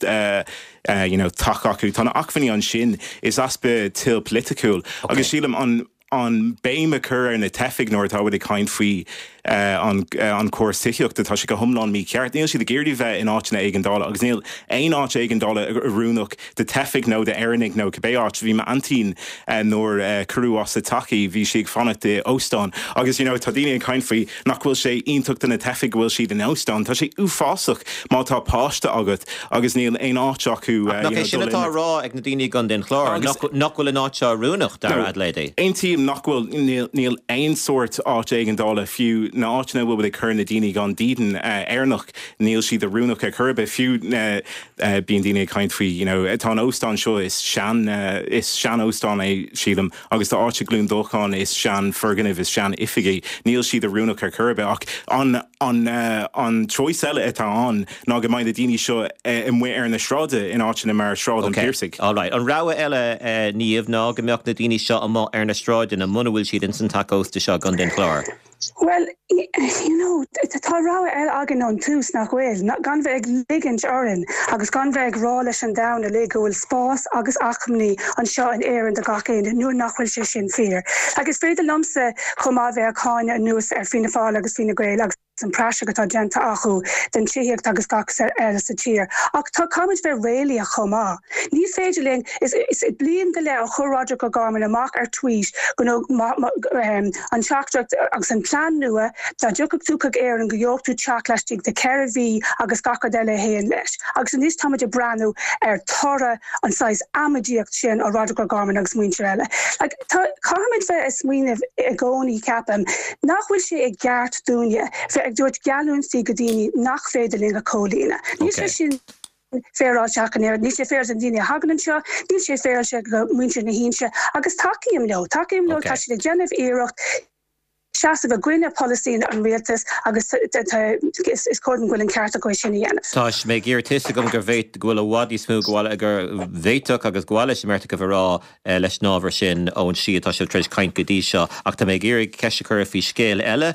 you know teach acu, tá na acmhainní ansin. Is easpa toil polaitiúil. Agus sílim an an béim a chur ar na teifigh nuair atá muid ag caint faoi an an córas tithíochta, tá sé go hiomlán mícheart. Níl siad ag iarraidh bheith in áiteanna éigeandála agus níl aon áit éigeandála oiriúnach do teifigh nó d'Éireannaigh nó cibé áit. Bhí m'aintín nuair a cuireadh as a teach í, bhí sí ag fanacht i óstán agus you know tá daoine ag caint faoi nach bhfuil sé iontach do na teifigh go bhfuil siad in óstán. Tá sé uafásach má tá páiste agat agus níl aon áit acu Ach nach é sin atá á rá ag na daoine i gContae an Chláir, nach bhfuil an áit seo oiriúnach, Dara Adelaide? Aontaím nach bhfuil, níl aon sórt áit éigeandála, fiú na áiteanna a bhfuil muid ag cur na daoine gan dídean Éireannach, níl siad oiriúnach ar chor ar bith, fiú na, bíonn daoine ag caint faoi, you know, tá an óstán seo, is sean, is sean-óstán é, sílim, agus tá áit i gCluain Dolcáin, is sean-fhoirgneamh, is sean-oifig é, níl siad oiriúnach ar chor ar bith, ach an, an, an choice eile atá ann ná go mbeidh na daoine seo amuigh ar na sráide in áiteanna mar Sráid an Phiarsaigh. Ok, alright. An rogha eile, Niamh, ná go mbeadh na daoine seo amuigh ar na sráideanna muna bhfuil siad ins an teach ósta seo i gContae an Chláir. Bhuel, you know, tá rogha eile againn ón tús, nach bhfuil? Gan bheith ag ligint orainn agus gan bheith ag rá leis an domhan uilig go bhfuil spás agus acmhainní anseo in Éirinn do gach éinne nuair nach bhfuil sé sin fíor. Like, is féidir liomsa chomh maith bheith ag cáineadh anuas ar Fianna Fáil agus Fine Gael agus an praiseach atá déanta acu den tithíocht agus gach eile sa tír. Ach tá, caithfimid bheith réalaíoch chomh maith. Ní féidir linn, is bliain go leith ó chuir Roderic O'Gorman amach ar tweet go an teachtaireacht agus an plean nua, dá dtiocfadh tú chuig Éirinn go gheobhadh tú teach laistigh de 4 mhí agus gach rud eile a théann leis. Agus anois táimid ag breathnú ar toradh an saghas amaidíocht sin ó Roderic O'Gorman agus muintir eile. Like, tá, caithfimid bheith ag smaoineamh i gcónaí, ceapaim, nach bhfuil sé i gceart dúinne bheith ag tabhairt geallúintí go daoine nach féidir linn a chomhlíonadh. Níl sé sin féaráilte ach an oiread. Níl sé féaráilte do na daoine a thagann anseo, níl sé féaráilte do mhuintir na hInse agus tacaím leo, tacaím leo, tá siad ag déanamh iarracht seasamh i gcoinne polasaí an rialtais agus is cóir dom go bhfuil an ceart acu é sin a dhéanamh. Tá mé ag iarraidh tá 'fhios agam gur bhféad, go bhfuil i bhfad níos mó go bhfuil, go bhféadfadh agus go bhfuil leis an mbeirt agaibh a rá leis an ábhar sin ón slí atá sibh tar éis caint go dtí seo ach tá mé ag iarraidh ceist a chur faoi scéal eile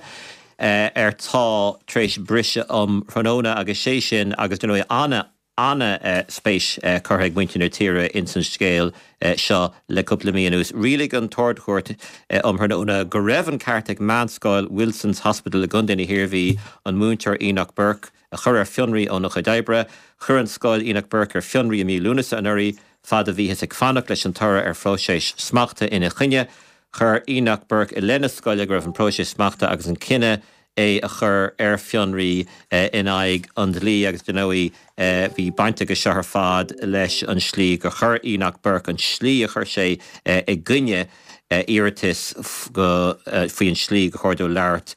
ar tá tar éis briseadh um thráthnóna agus sé sin agus dar ndóigh ana. Ana-spéis curtha ag muintir na tíre ins an scéal seo le cúpla mí anuas. Rialaigh an tArd-Chúirt um thráthnóna go raibh an ceart ag meánscoil Wilson's Hospital i gContae na hIarmhí an múinteoir Enoch Burke a chur ar fionraí óna chuid oibre. Chuir an scoil Enoch Burke ar fionraí i mí Lúnasa anuraidh fad a bhíothas ag fanacht leis an toradh ar phróiseas smachta ina choinne. Chuir Enoch Burke i leith na scoile go raibh an próiseas smachta agus an cinneadh é a chur ar fionraí in aghaidh an dlí agus dar ndóigh bhí baint aige seo ar fad leis an slí gur chuir Enoch Burke, an slí a chuir sé i gcoinne iarratais go faoi an slí gur chóir dó labhairt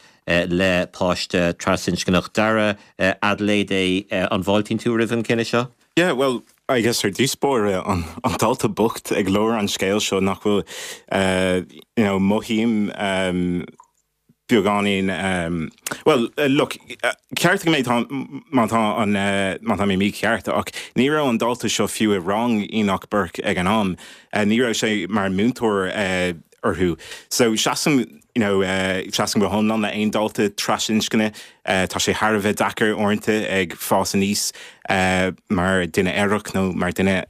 le páiste trasinscneach. Dara, Adelaide é, an bhfáiltíonn tú roimh an cinneadh seo? Yeah, well, I guess ar dtús báire, an dalta bocht ag lár an scéil seo nach bhfuil, you know, mothaím beagáinín, bhuel, look, ceartaigh mé má tá an, má tá mé mícheart, ach ní raibh an dalta seo fiú i rang Enoch Burke ag an am, ní raibh sé mar múinteoir orthu. So seasaim, you know, seasaim go hiomlán le aon dalta trasinscne, tá sé thar a bheith deacair uaireanta ag fás aníos mar duine aerach nó mar duine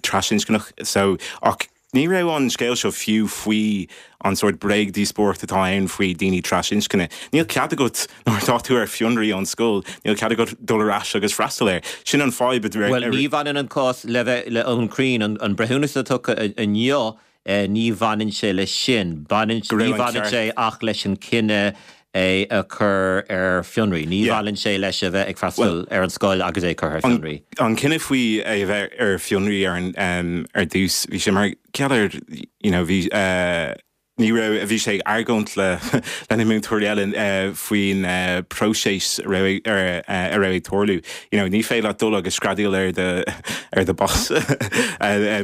trasinscneach, so, ach, Ní raibh an scéal seo fiú faoi an sórt bréagdhíospóireacht atá ann faoi daoine trasinscne. Níl cead agat, nuair atá tú ar fionraí ón scoil, níl cead agat dul ar ais agus freastal air. Sin an fadhb. Bhuel, ní bhaineann an cás le bheith le iomlán cruinn, an breithiúnas atá tugtha inniu, ní bhaineann sé leis sin. Baineann, ní bhaineann sé ach leis an cinneadh é a chur ar fionraí. Ní bhaineann sé leis a bheith ag freastal ar an scoil agus é curtha ar fionraí. An cinneadh faoi é a bheith ar fionraí ar an ar dtús, bhí sé mar gheall ar you know bhí ní raibh bhí sé ag argóint le le na múinteoirí eile faoin próiseas a raibh a raibh ag tarlú. You know ní féidir leat dul agus screadaíl ar do ar do boss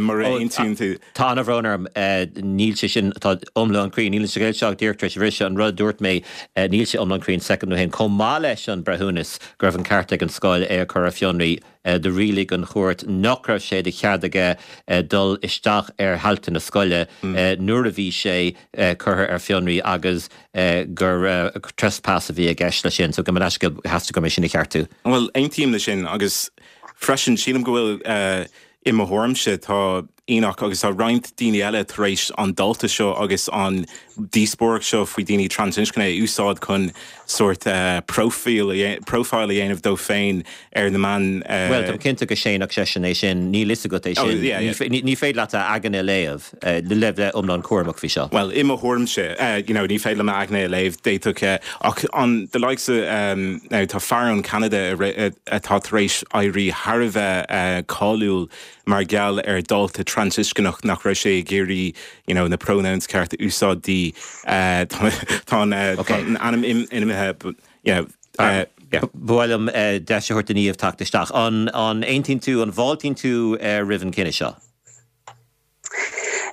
mura aontaíonn tú. Tá an-bhrón orm, níl sé sin, tá iomlán cruinn, níl an scéal seo díreach tar éis a bhriseadh, an rud a dúirt mé, níl sé iomlán cruinn soicind nó haon. Chomh maith leis an breithiúnas go raibh an ceart ag an scoil é a chur ar fionraí, do rialaigh an chúirt nach raibh sé de chead aige dul isteach ar thailte na scoile nuair a bhí sé curtha ar fionraí agus gur trespass a bhí i gceist leis sin. So gabh mo leithscéal, theastaigh uaim é sin a cheartú. Bhuel, aontaím leis sin agus freisin sílim go bhfuil, i mo thuairimse, tá Enoch agus tá roinnt daoine eile tar éis an dalta seo agus an díospóireacht seo faoi daoine trasinscne a úsáid chun sórt profile a dhéanamh dóibh féin ar na meáin. Bhuel, táim cinnte go séanfadh seisean é sin, níl fhios agat é sin. Ní féidir leat a aigne a léamh, le bheith iomlán cúramach faoi seo. Bhuel, i mo thuairimse, you know, ní féidir liom a aigne a léamh, d'fhéadfadh, ach an the likes of, now tá fear ón Cheanada atá tar éis éirí thar a bheith cáiliúil mar gheall ar dalta trasinscneach nach raibh sé ag iarraidh you know na pronouns ceart a úsáid di. Tá an ainm imithe but you know yeah. Ba mhaith liom deis a thabhairt do Niamh teacht isteach. An aontaíonn tú, an bhfáiltíonn tú roimh an cinneadh seo?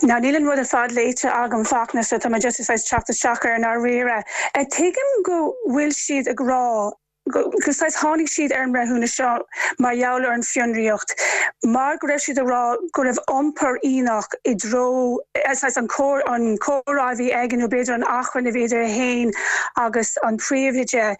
Now níl an rud ar fad léite agam Fachtna so tá mé just ag teacht isteach air i ndáiríre. Tuigim go bhfuil siad ag rá go saghas tháinig siad ar an mbreithiúnas seo mar gheall ar an fionraíocht mar go raibh siad ag rá go raibh iompar Enoch i dtreo saghas an an comhrá a bhí aige nó b'fhéidir an achrann a bhí idir é féin agus an príomhoide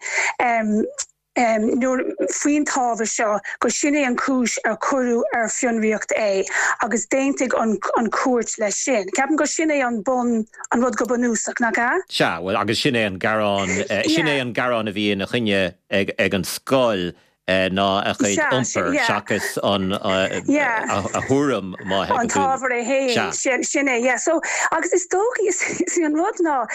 nuair faoin t-ábhar seo gur sin é an chúis ar cuireadh ar fionraíocht é agus d'aontaigh an an chúirt leis sin. Ceapaim gur sin é an bun an rud go bunúsach, nach ea? Sea, bhuel, agus sin é an gearán, sin é an gearán a bhí ina choinne ag an scoil, ná a chuid iompair seachas an, a thuairim, má thuigeann tú. An t-ábhar é féin, sin é, yeah. So, agus is dócha, is é an rud ná,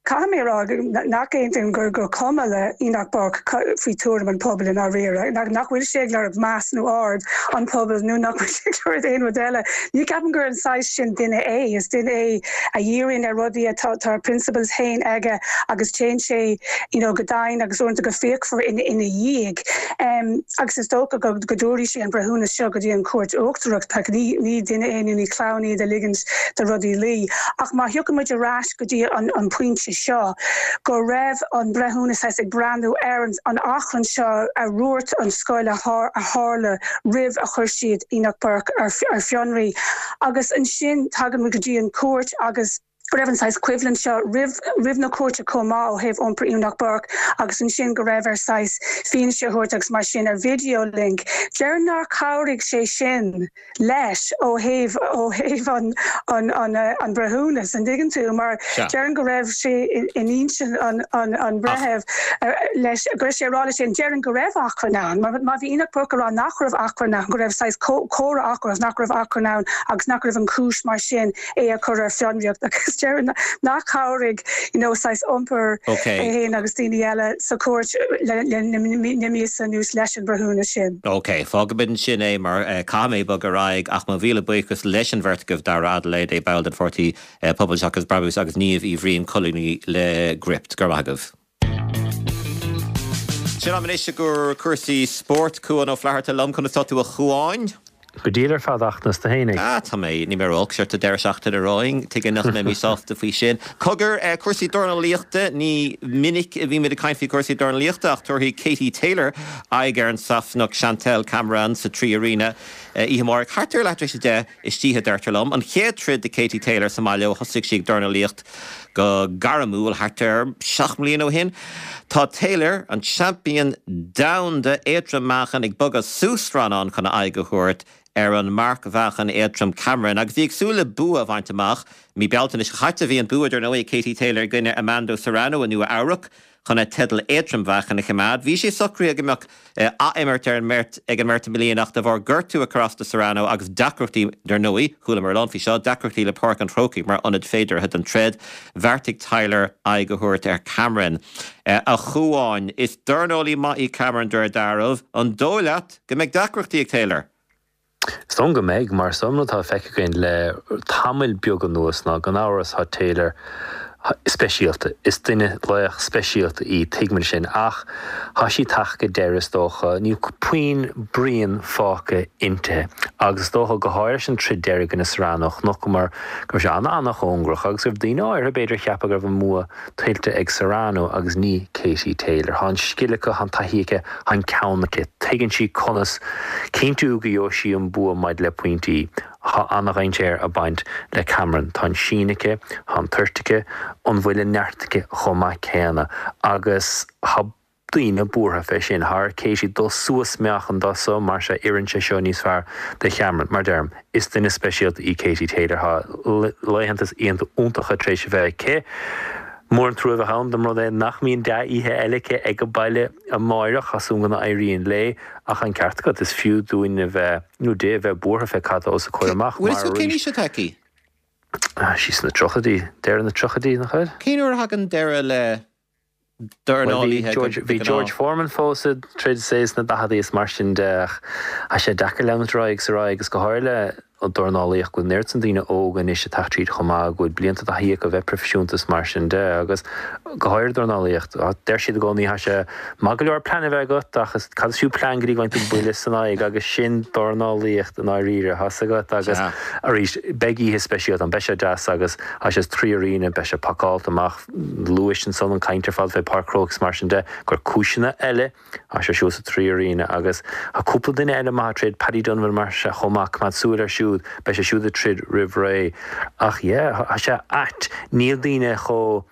Caithfidh mé a rá nach aontaím gur gur cuma le Enoch Burke faoi tuairim an phobail i ndáiríre, nach bhfuil sé ag lorg meas nó aird an phobail nó nach bhfuil sé ag lorg aon rud eile. Ní ceapaim gur an saghas sin duine é. Is duine é a dhíríonn ar rudaí atá tá a principles féin aige agus téann sé you know go domhain agus uaireanta go fíochmhar ina ina dhiaidh. Agus is dócha go go dtabharfaidh sé an breithiúnas seo go dtí an Chúirt Uachtarach. Ní ní duine é nó ní clown iad a ligeanns do rudaí luí. Ach má thiocfaidh muid ar ais go dtí an pointe seo go raibh an breithiúnas ag breathnú ar an achrann seo a dhúirt an scoil a tharla roimh a chuir siad Enoch Burke ar fionraí. Agus ansin tagann muid go dtí an chúirt agus. Go raibh an saghas coimhlint seo roimh roimh na cúirte chomh maith ó thaobh iompar Enoch Burke agus ansin go raibh air saghas fianaise a thabhairt agus mar sin ar video link. Déarfainn nár chabhraigh sé sin leis ó thaobh ó thaobh an an an an breithiúnas, an dtuigeann tú, mar déarfainn go raibh sé in intinn an an an bhreithimh leis go raibh sé ag rá leis féin déarfainn go raibh achrann ann mar má bhí Enoch Burke ag rá nach raibh achrann ann go raibh saghas comhrá acu agus nach raibh achrann ann agus nach raibh an chúis mar sin é a chur ar fionraíocht agus déarfainn nach chabhraigh you know saghas iompar é féin agus daoine eile sa chúirt le na míosa anuas leis an bhreithiúnas sin. Ok, fágfaimid ansin é mar caithfidh mé bogadh ar aghaidh ach mo mhíle buíochas leis an bheirt agaibh, Dara Adelaide, ball den pháirtí Pobal Seachas Brabús agus Niamh Uí Bhriain, colúnaí le Gript. Go raibh maith agaibh. Sin am anois i gcomhair cúrsaí spóirt. Cuán Ó Flatharta liom. Conas tá tú a Chuáin? Go diail ar fad ach conas tá tú fhéinig. Ah, tá mé, níl mé ró-olc, sure tá deireadh seachtaine romhainn, tuige nach mbeidh mé sásta faoi sin. Cogar, cúrsaí dornálaíochta, ní minic a bhímid ag caint faoi chúrsaí dornálaíochta ach tabharfaidh Katie Taylor aghaidh ar an Sasanach Chantelle Cameron sa Three Arena oíche amárach thart ar leath tar éis a deich istoíche, deirtear liom. An chéad troid do Katie Taylor sa mbaile ó thosaigh sí ag dornálaíocht go gairmiúil thart ar sheacht mbliana ó shin. Tá Taylor, an seaimpín domhanda éadrom-meáchain, ag bogadh suas rannán chun a aghaidh a thabhairt ar an marcmheáchan éadrom Cameron agus í ag súil le bua a bhaint amach. Mí Bealtaine seo caite bhí an bua, dar ndóigh, ag Katie Taylor i gcoinne Amanda Serrano i Nua Eabhrac. chun a teideal éadrom-mheáchain a choimeád. Bhí sé socraithe go mbeadh ath-imirt ar an mbeirt ag an mbeirt i mbliana ach de bharr gortú a chur as do Serrano agus deacrachtaí, dar ndóigh, chualamar a lán faoi seo, deacrachtaí le Páirc an Chrócaigh mar ionad féideartha don troid, bheartaigh Taylor aghaidh a thabhairt ar Cameron. A Chuáin, is dornálaí maith í Cameron de réir dealraimh. An dóigh leat go mbeidh deacrachtaí ag Taylor? Is dóigh liom go mbeidh, mar is an rud atá feicthe againn le tamall beag anuas ná gan amhras tá Taylor speisialta. Is duine laoch speisialta í, tuigimid sin, ach tá sí ag teacht go deireadh is dócha. Níl puinn bruíon fágtha inti agus is dócha, go háirithe leis an troid deiridh i gcoinne Serrano, chonaiceamar go raibh sé an-an-chóngarach agus go raibh daoine áirithe b'fhéidir a cheapadh go raibh an bua tuillte ag Serrano agus ní Katie Taylor. Tá an scil aici, tá an taithí aici, tá an ceann aici. Tuigeann sí conas cinntiú go gheobhaidh sí an bua maidir le pointí. Tá an-dhainséar ag baint le Cameron. Tá an sín aici, tá an toirt aici, an bhfuil an neart aici chomh maith céanna agus tá daoine buartha fé sin. Tá ar Katie dul suas meáchan dó so mar sea oireann sé seo níos fearr do Chameron. Mar deirim, is duine speisialta í Katie Taylor. Tá laethanta is oícheanta iontacha tar éis a bheith aici. Mór an trua a bheadh ann dá mba rud é nach mbíonn dea-oíche eile aici ag an baile amáireach. Tá súil agam go n-éiríonn léi. Ach an ceart agat, is fiú dúinn a bheith, nó di, a bheith buartha fé cad tá os a comhair amach mar arís. Cén aois atá aici? Tá sí sna tríochaidí, deireadh na tríochaidí, nach bhfuil? Cén uair a thagann deireadh le dornálaithe go Bhí George Foreman fós ag troid is é sna daicheadaí is mar sin de ach tá sé deacair leanúint ar aghaidh agus ar aghaidh agus go háirithe le an dornálaíocht go bhfuil an oiread san daoine óga anois ag teacht tríd chomh maith go bhfuil blianta taithí acu a bheith proifisiúnta is mar sin de agus go háirithe dornálaíocht deir siad i gcónaí tá sé maith go leor plean a bheith agat ach is cad is fiú plean go dtí go bhfaigheann tú buille san aghaidh agus sin dornálaíocht i ndáiríre tá 's agat agus arís beidh oíche speisialta ann beidh sé deas agus tá sé sa Three Arena beidh sé pacáilte amach Luais ansan an caint ar fad fé Páirc Chrócaigh is mar sin de, gur cúiseanna eile, tá sé siúd sa Three Arena agus tá cúpla duine eile maith ag troid, Paddy Donovan mar sea chomh maith, coimeád súil air siúd, beidh sé siúd ag troid roimh ré. Ach yeah, tá sé ait, níl daoine chomh,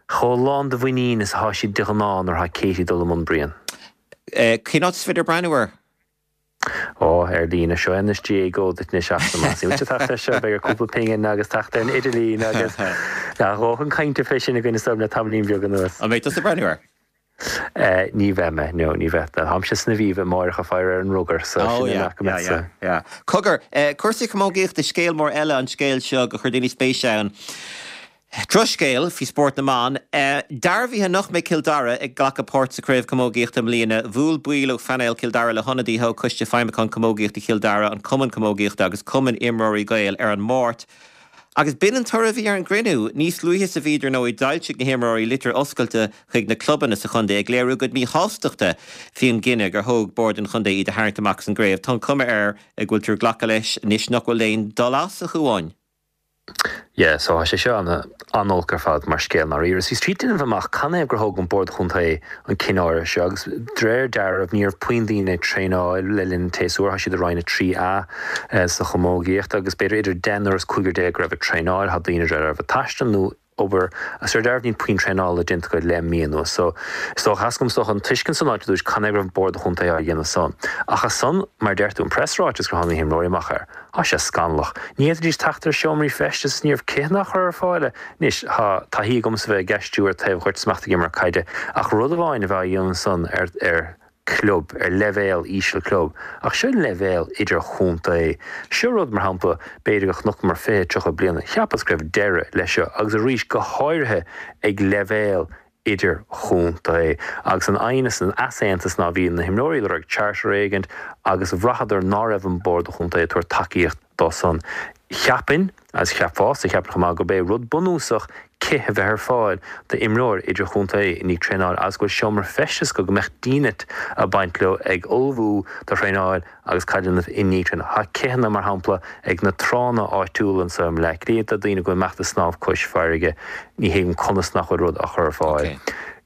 chomh lán de mhuinín is atá siad de ghnáth nuair atá Katie ag dul i mbun bruíon. Cén áit is féidir breathnú air? Ó, ar líne. Seo anois GAAGO duit anois ach más ait teacht air seo, beidh ar cúpla pingin agus teacht ar an idirlíon agus a dhóthain cainte fé sin againn is dóigh le tamaillín beag anuas. An mbeidh tusa ag breathnú air? Ní bheidh mé, no, ní bheidh. Táimse san Aviva amáireach ag faire ar an rugar, so sin é nach go mbeadh sa. Yeah, yeah. Cogar, cúrsaí camógaíochta, scéal mór eile an scéal seo gur chuir daoine spéis ann. Drochscéal faoi spórt na mban. Dearbhaithe nach mbeidh Cill Dara ag glacadh páirt sa Chraobh Camógaíochta i mbliana. Bhuail baill ó phainéal Chill Dara le hionadaithe ó Choiste Feidhmiúcháin Camógaíochta Chill Dara, an Cumann Camógaíochta agus Cumann Imreoirí Gael ar an Máirt agus b'in an toradh a bhí ar an gcruinniú. Níos luaithe sa mhí, dar ndóigh, d'fhoilsigh na himreoirí litir oscailte chuig na clubanna sa chontae ag léiriú a gcuid míshástachta faoin gcinneadh gur thóg Bord an Chontae iad a tharraingt amach as an gcraobh. Tá an chuma air go bhfuiltear ag glacadh leis anois nach bhfuil aon dul as, a Chuáin. Yeah, so tá sé seo an-olc ar fad mar scéal ndáiríre. Is bhíos ag déanamh amach canathaobh gur thóg an Bord Chontae an cinneadh áirithe seo agus de réir dealraimh ní raibh puinn daoine ag traenáil le linn an tséasúir, tá siad i Roinn 3A sa chamógaíocht agus b'fhéidir idir deichniúr is cúigear go raibh ag traenáil, tá daoine a raibh ag taisteal nó obair agus de réir dealraimh níl puinn traenála déanta acu le mí anuas. So is dócha, theastaigh uaim is dócha an tuiscint san a fháilt ar dtúis canathaobh go raibh an Bord Chontae á dhéanamh san. Ach as san, mar a deir tú, an preasráiteas gur tháinig na himreoirí amach air. Tá sé scannalach. Ní fhéadfaidís teacht ar seomraí feistis is ní raibh citheanna á chur ar fáil. Anois, tá taithí agamsa bheith ag aistriú ar taobh ghoirt is mé ag imirt caide, ach rud amháin a bheith á dhéanamh san ar ar club, ar leibhéal íseal club, ach seo leibhéal idirchontae. Seo rud, mar shampla, b'fhéidir go chonaiceamar 20, 30 bliana, cheapas go raibh deireadh leis seo agus arís go háirithe ag leibhéal idirchontae. Agus an aighneas, an easaontas ná bhí na himreoirí ag lorg charter éigint agus bhraitheadar ná raibh an Bord Chontae ag tabhairt tacaíocht dó san. Cheapfainn, agus cheapfása, cheapfainn chomh maith, gurb é rud bunúsach cith a bheith ar fáil d'imreoir idirchontae i ndiaidh traenáil agus go bhfuil seomra feistis acu go mbeadh dínit ag baint leo ag ullmhú do thraenáil agus caid a dhéanamh i ndiaidh traenála. Tá citheanna, mar shampla, ag na tránna áitiúla anseo i mBleá Cliath do daoine go bhfuil ag imeacht ag snámh cois farraige. Ní thuigim conas nach bhfuil rud á chur ar fáil.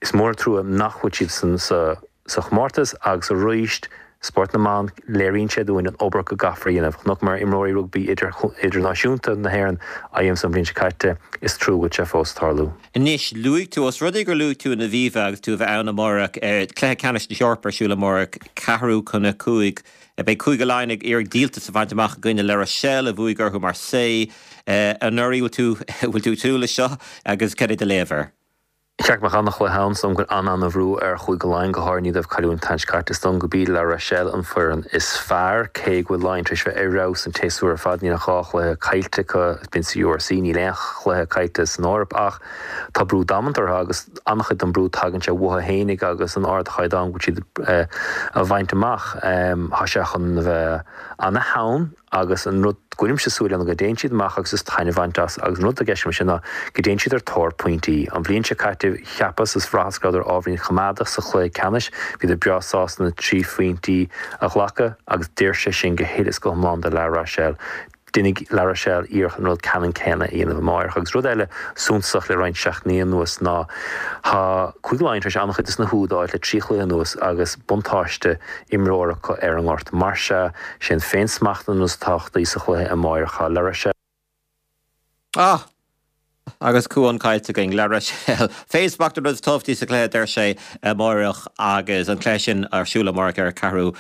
Is mór an trua nach bhfuil siad san sa chomórtas agus arís, spórt na mban, léiríonn sé dúinn an obair go gcaithfear a dhéanamh. Chonaiceamar imreoirí rugbaí idirnáisiúnta na hÉireann á dhéanamh san bhliain seo caite, is trua go bhfuil sé fós ag tarlú. Anois, luaigh tú, os rud é gur luaigh tú an Aviva agus tú a bheith ann amárach, cluiche ceannais na hEorpa ar siúl amárach, ceathrú chun a 5. Beidh Cúige Laighean ag iarraidh díoltas a bhaint amach i gcoinne La Rochelle a bhuaigh orthu Marseille anuraidh. Bhfuil tú, bhfuil tú ag súil leis seo agus cad é do léamh air? Cheart go mbeadh an-chluiche ann, is dóigh liom go bhfuil an-an-bhrú ar Chúige Laighean, go háirithe i ndiaidh dóibh cailliúint an tseachtain seo caite. Is dóigh liom gurb iad La Rochelle an foireann is fearr, cé go bhfuil Laighean tar éis bheith ar fheabhas an tséasúr ar fad. Níl ach 2 chluiche caillte acu b'in sa URC, níl aon chluiche caillte san Eoraip ach tá brú damanta orthu agus an-chuid den brú tagann sé uathu fhéinig agus an ardchaighdeán go bhfuil siad a bhaint amach. Tá sé chun a bheith ana-theann. Agus an rud go bhfuilimse súil ann go dtéann siad amach agus is taitneamh a bhaint as agus an rud atá i gceist agam sin ná go dtéann siad ar tóir pointí. An bhliain seo caite cheapas is bhraitheas go rabhadar ábhairín coimeádach sa chluiche ceannais, bhíodar breá sásta na trí phointí a ghlacadh agus d'oir sé sin go huile is go hiomlán do La Rochelle. Déanfaidh La Rochelle iarracht an rud ceannann céanna a dhéanamh amáireach. Agus rud eile suntasach le roinnt seachtainí anuas ná tá Cúige Laighean tar éis an-chuid de na húid a fháilt le trí chluiche anuas agus buntáiste imreora acu ar an ngort. Mar sea, sé an féinsmacht an rud is tábhachtaí sa chluiche amáireach. Tá La Rochelle. Ah! Agus Cuán caillte againn. La Rochelle. Féinsmacht an rud is tábhachtaí sa chluiche, a deir sé, amáireach agus an cluiche sin ar siúl amáireach ar ceathrú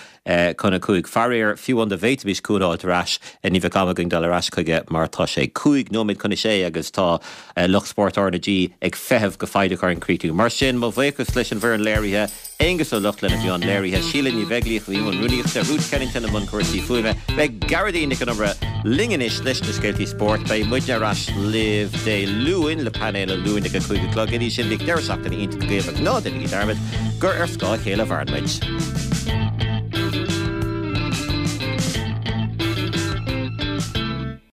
chun a 5. Faraor, fiú amháin dá bhféadfaimis Cuán a fháilt ar ais, ní bheadh am againn dul ar ais chuige mar tá sé 5 nóiméad chun a sé agus tá lucht spóirt R na G ag feitheamh go foighdeach orainn críochnú. Mar sin, mo bhuíochas leis an bhfoireann léirithe. Aonghus Ó Lochlainn a bhí i mbun léirithe, Síle Ní Bheaglaoich a bhí i mbun rúnaíochta, Ruth Kennington i mbun cúrsaí fuaime. Beidh Gearóidín Nic Con Iomaire linn anois leis na scéaltaí spóirt. Beidh muidne ar ais libh Dé Luain le painéal an Luain ag a 5 a chlog. Go dtí sin, bíodh deireadh seachtaine iontach agaibh agus ná déanaigí dearmad gur ar scáth a chéile a mhaireann muid.